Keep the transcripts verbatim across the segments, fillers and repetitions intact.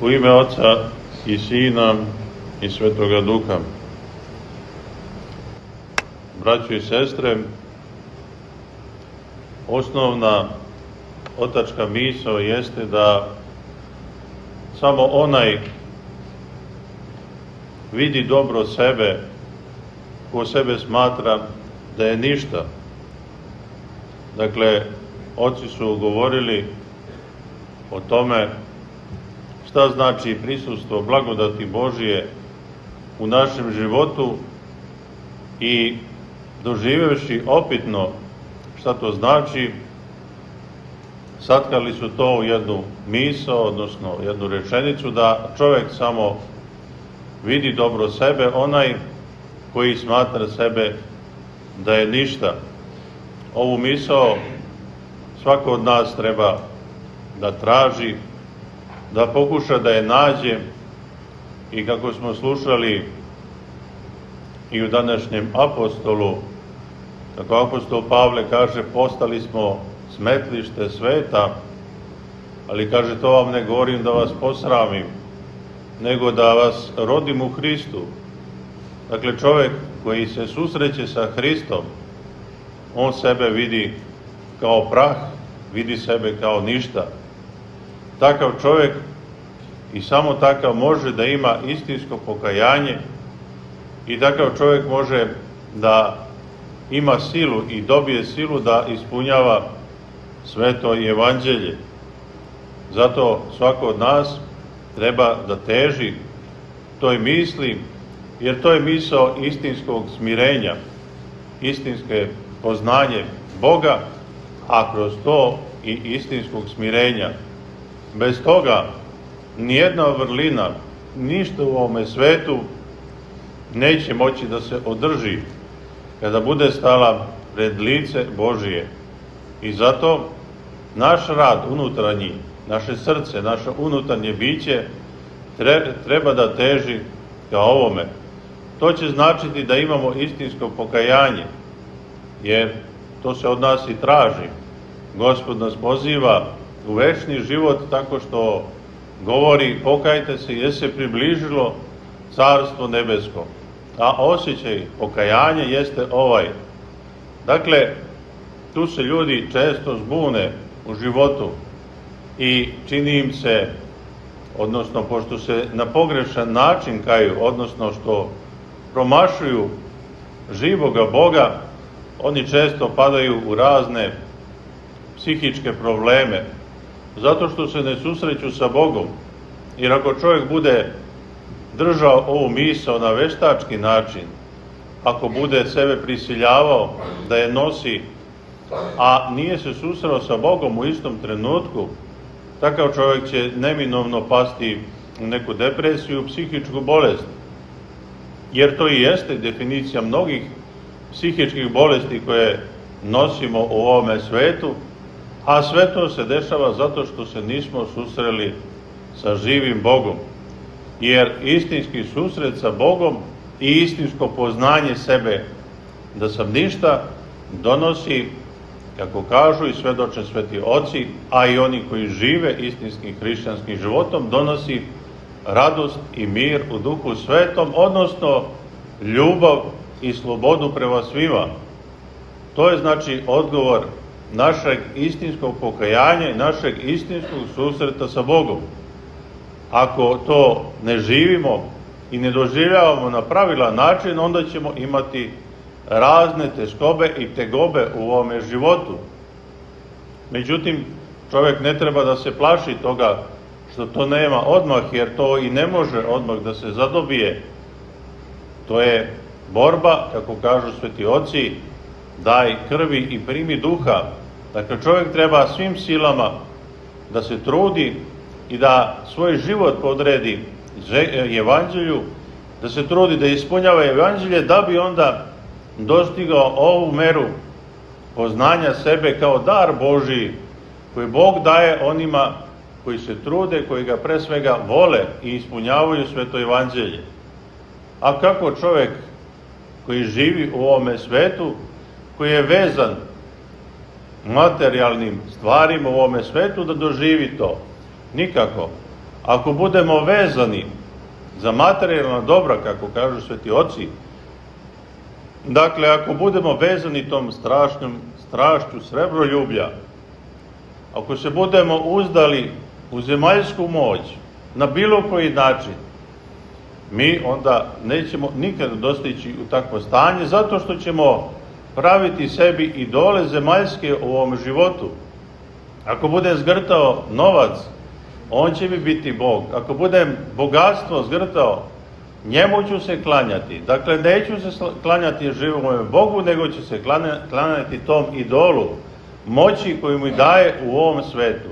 U ime Oca i Sina i Svetoga Duha. Braćo i sestre, osnovna otačka misao jeste da samo onaj vidi dobro sebe, ko sebe smatra da je ništa. Dakle, oci su govorili o tome šta znači prisustvo blagodati Božije u našem životu i doživevši opitno šta to znači, satkali su to u jednu misao, odnosno jednu rečenicu, da čovjek samo vidi dobro sebe, onaj koji smatra sebe da je ništa. Ovu misao svako od nas treba da traži, da pokuša da je nađe i kako smo slušali i u današnjem apostolu, kako apostol Pavle kaže, postali smo smetlište sveta, ali kaže, to vam ne govorim da vas posramim, nego da vas rodim u Hristu. Dakle, čovjek koji se susreće sa Hristom, on sebe vidi kao prah, vidi sebe kao ništa. Takav čovjek i samo takav može da ima istinsko pokajanje i takav čovjek može da ima silu i dobije silu da ispunjava sveto evanđelje. Zato svako od nas treba da teži toj misli, jer to je misao istinskog smirenja, istinske poznanje Boga, a kroz to i istinskog smirenja. Bez toga nijedna vrlina, ništa u ovome svetu neće moći da se održi kada bude stala pred lice Božije. I zato naš rad unutarnji, naše srce, naše unutarnje biće treba da teži ka ovome. To će značiti da imamo istinsko pokajanje, jer to se od nas i traži. Gospod nas poziva u večni život tako što govori, pokajte se jer se približilo Carstvo nebesko. A osjećaj pokajanja jeste ovaj. Dakle, tu se ljudi često zbune u životu i čini im se, odnosno pošto se na pogrešan način kaju, odnosno što promašuju živoga Boga, oni često padaju u razne psihičke probleme, zato što se ne susreću sa Bogom. Jer ako čovjek bude držao ovu misao na veštački način, ako bude sebe prisiljavao da je nosi, a nije se susreo sa Bogom u istom trenutku, takav čovjek će neminovno pasti u neku depresiju, psihičku bolest. Jer to i jeste definicija mnogih psihičkih bolesti koje nosimo u ovome svetu, a sve to se dešava zato što se nismo susreli sa živim Bogom. Jer istinski susret sa Bogom i istinsko poznanje sebe da sam ništa donosi, kako kažu i svedoče sveti oci, a i oni koji žive istinskim hrišćanskim životom, donosi radost i mir u Duhu Svetom, odnosno ljubav i slobodu prema svima. To je znači odgovor našeg istinskog pokajanja i našeg istinskog susreta sa Bogom. Ako to ne živimo i ne doživljavamo na pravilan način, onda ćemo imati razne teškobe i tegobe u ovome životu. Međutim, čovjek ne treba da se plaši toga što to nema odmah, jer to i ne može odmah da se zadobije. To je borba, kako kažu sveti oci, daj krvi i primi duha. Dakle, čovjek treba svim silama da se trudi i da svoj život podredi evanđelju, da se trudi da ispunjava evanđelje, da bi onda dostigao ovu meru poznanja sebe kao dar Božiji, koji Bog daje onima koji se trude, koji ga pre svega vole i ispunjavaju sveto evanđelje. A kako čovjek koji živi u ovome svetu, koji je vezan materijalnim stvarima u ovome svetu, da doživi to? Nikako. ako budemo vezani za materijalna dobra, kako kažu sveti oci, dakle, ako budemo vezani tom strašnom strašću srebroljublja, ako se budemo uzdali u zemaljsku moć na bilo koji način, mi onda nećemo nikada dostići u takvo stanje, zato što ćemo praviti sebi idole zemaljske u ovom životu. Ako budem zgrtao novac, on će mi biti Bog. Ako budem bogatstvo zgrtao, njemu ću se klanjati. Dakle, neću se klanjati živome Bogu, nego ću se klanjati tom idolu moći koju mi daje u ovom svetu.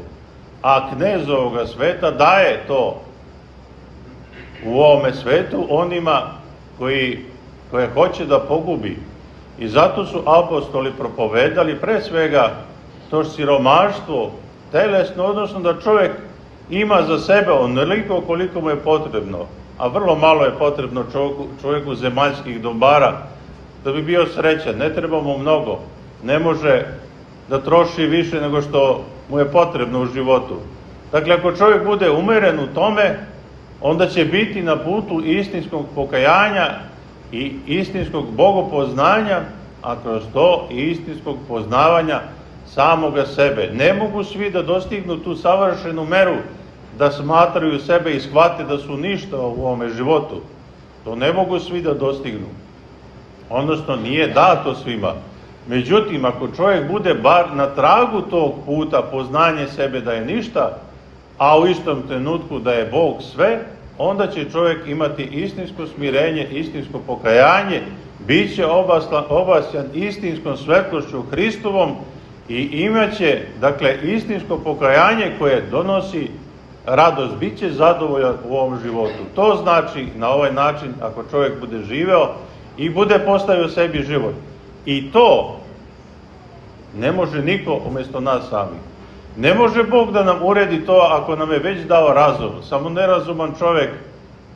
A knez ovoga sveta daje to u ovome svetu onima koji, koje hoće da pogubi. I zato su apostoli propovedali pre svega to siromaštvo telesno, odnosno da čovjek ima za sebe onoliko koliko mu je potrebno, a vrlo malo je potrebno čovjeku, čovjeku zemaljskih dobara da bi bio srećan. Ne treba mu mnogo, ne može da troši više nego što mu je potrebno u životu. Dakle, ako čovjek bude umeren u tome, onda će biti na putu istinskog pokajanja i istinskog bogopoznanja, a kroz to i istinskog poznavanja samoga sebe. Ne mogu svi da dostignu tu savršenu meru, da smatraju sebe i shvate da su ništa u ovome životu. To ne mogu svi da dostignu. Odnosno, nije dato svima. Međutim, ako čovjek bude bar na tragu tog puta poznanje sebe da je ništa, a u istom trenutku da je Bog sve, onda će čovjek imati istinsko smirenje, istinsko pokajanje, bit će obasjan istinskom svetlošću Hristovom i imaće, dakle, istinsko pokajanje koje donosi radost, bit će zadovoljan u ovom životu. To znači, na ovaj način, ako čovjek bude živeo i bude postavio sebi život. I to ne može niko umjesto nas sami. Ne može Bog da nam uredi to ako nam je već dao razum. Samo nerazuman čovjek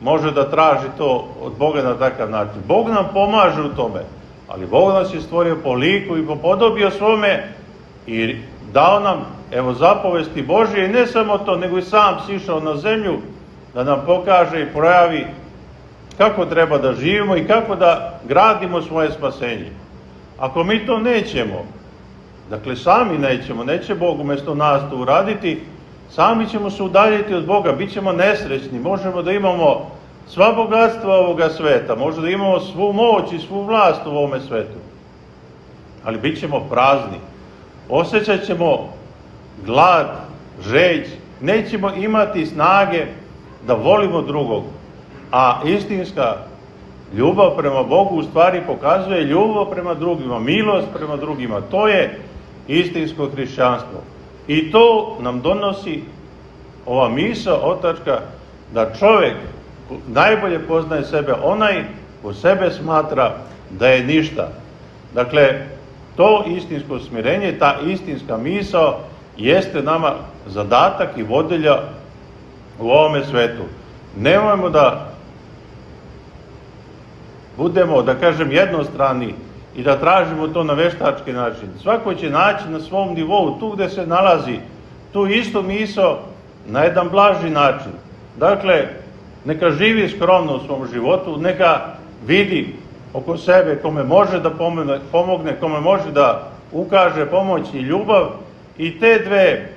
može da traži to od Boga na takav način. Bog nam pomaže u tome, ali Bog nas je stvorio po liku i po podobi svome i dao nam, evo, zapovesti Božje, i ne samo to, nego i sam sišao na zemlju da nam pokaže i projavi kako treba da živimo i kako da gradimo svoje spasenje. Ako mi to nećemo, dakle sami nećemo, neće Bog umjesto nas to uraditi, sami ćemo se udaljiti od Boga, bit ćemo nesrećni, možemo da imamo sva bogatstva ovoga sveta, možemo da imamo svu moć i svu vlast u ovome svetu, ali bit ćemo prazni, osjećat ćemo glad, žeđ, nećemo imati snage da volimo drugog, a istinska ljubav prema Bogu u stvari pokazuje ljubav prema drugima, milost prema drugima. To je istinsko hrišćanstvo. I to nam donosi ova misao otačka da čovjek najbolje poznaje sebe onaj ko sebe smatra da je ništa. Dakle, to istinsko smirenje, ta istinska misao jeste nama zadatak i vodilja u ovome svetu. Nemojmo da budemo, da kažem, jednostrani i da tražimo to na veštački način. Svako će naći na svom nivou, tu gde se nalazi, tu istu misao na jedan blaži način. Dakle, neka živi skromno u svom životu, neka vidi oko sebe kome može da pomogne, kome može da ukaže pomoć i ljubav, i te dve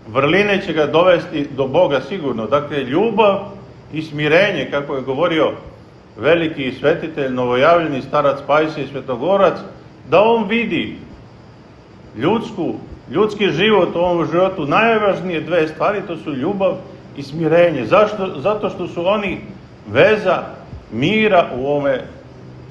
vrline će ga dovesti do Boga sigurno. Dakle, ljubav i smirenje, kako je govorio veliki svetitelj, novojavljeni starac Pajsije Svetogorac, da on vidi ljudsku, ljudski život u ovom životu, najvažnije dve stvari, to su ljubav i smirenje. Zašto? Zato što su oni veza mira u ovome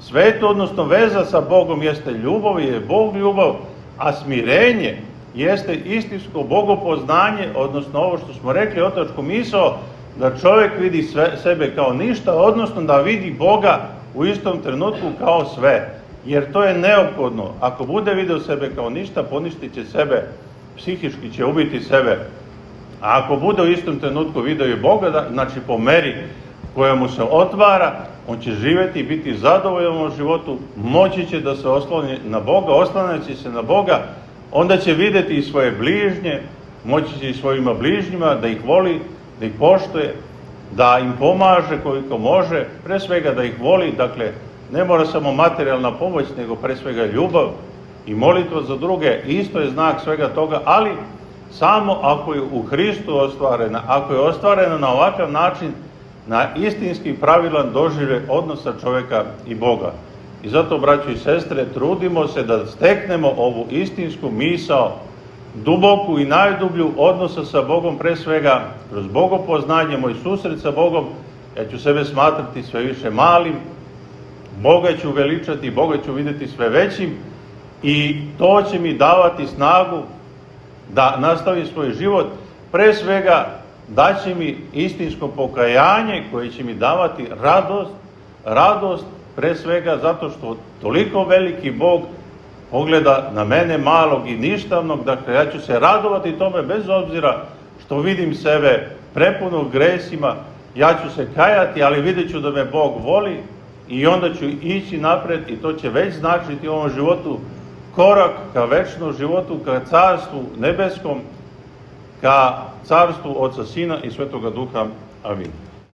svetu, odnosno veza sa Bogom jeste ljubav, je Bog ljubav, a smirenje jeste istinsko bogopoznanje, odnosno ovo što smo rekli, otačku misao, da čovjek vidi sve, sebe kao ništa, odnosno da vidi Boga u istom trenutku kao sve. Jer to je neophodno. Ako bude video sebe kao ništa, poništit će sebe, psihički će ubiti sebe. A ako bude u istom trenutku video i Boga, znači po meri koja mu se otvara, on će živjeti i biti zadovoljan u životu, moći će da se osloni na Boga, oslanjaći se na Boga, onda će vidjeti i svoje bližnje, moći će i svojima bližnjima da ih voli da ih poštuje, da im pomaže koliko može, pre svega da ih voli, dakle, ne mora samo materijalna pomoć, nego pre svega ljubav i molitva za druge, isto je znak svega toga, ali samo ako je u Hristu ostvarena, ako je ostvarena na ovakav način, na istinski pravilan doživljaj odnosa čoveka i Boga. I zato, braćo i sestre, trudimo se da steknemo ovu istinsku misao, duboku i najdublju odnosa sa Bogom, pre svega kroz bogopoznanje, moj susret sa Bogom. Ja ću sebe smatrati sve više malim, Boga ću veličati, Boga ću vidjeti sve većim i to će mi davati snagu da nastavim svoj život. Pre svega daće mi istinsko pokajanje koje će mi davati radost, radost pre svega zato što toliko veliki Bog pogleda na mene malog i ništavnog, dakle ja ću se radovati tome bez obzira što vidim sebe prepunog gresima, ja ću se kajati, ali vidjet ću da me Bog voli i onda ću ići napred i to će već značiti u ovom životu korak ka večnom životu, ka carstvu nebeskom, ka carstvu Oca, Sina i Svetoga Duha. Amin.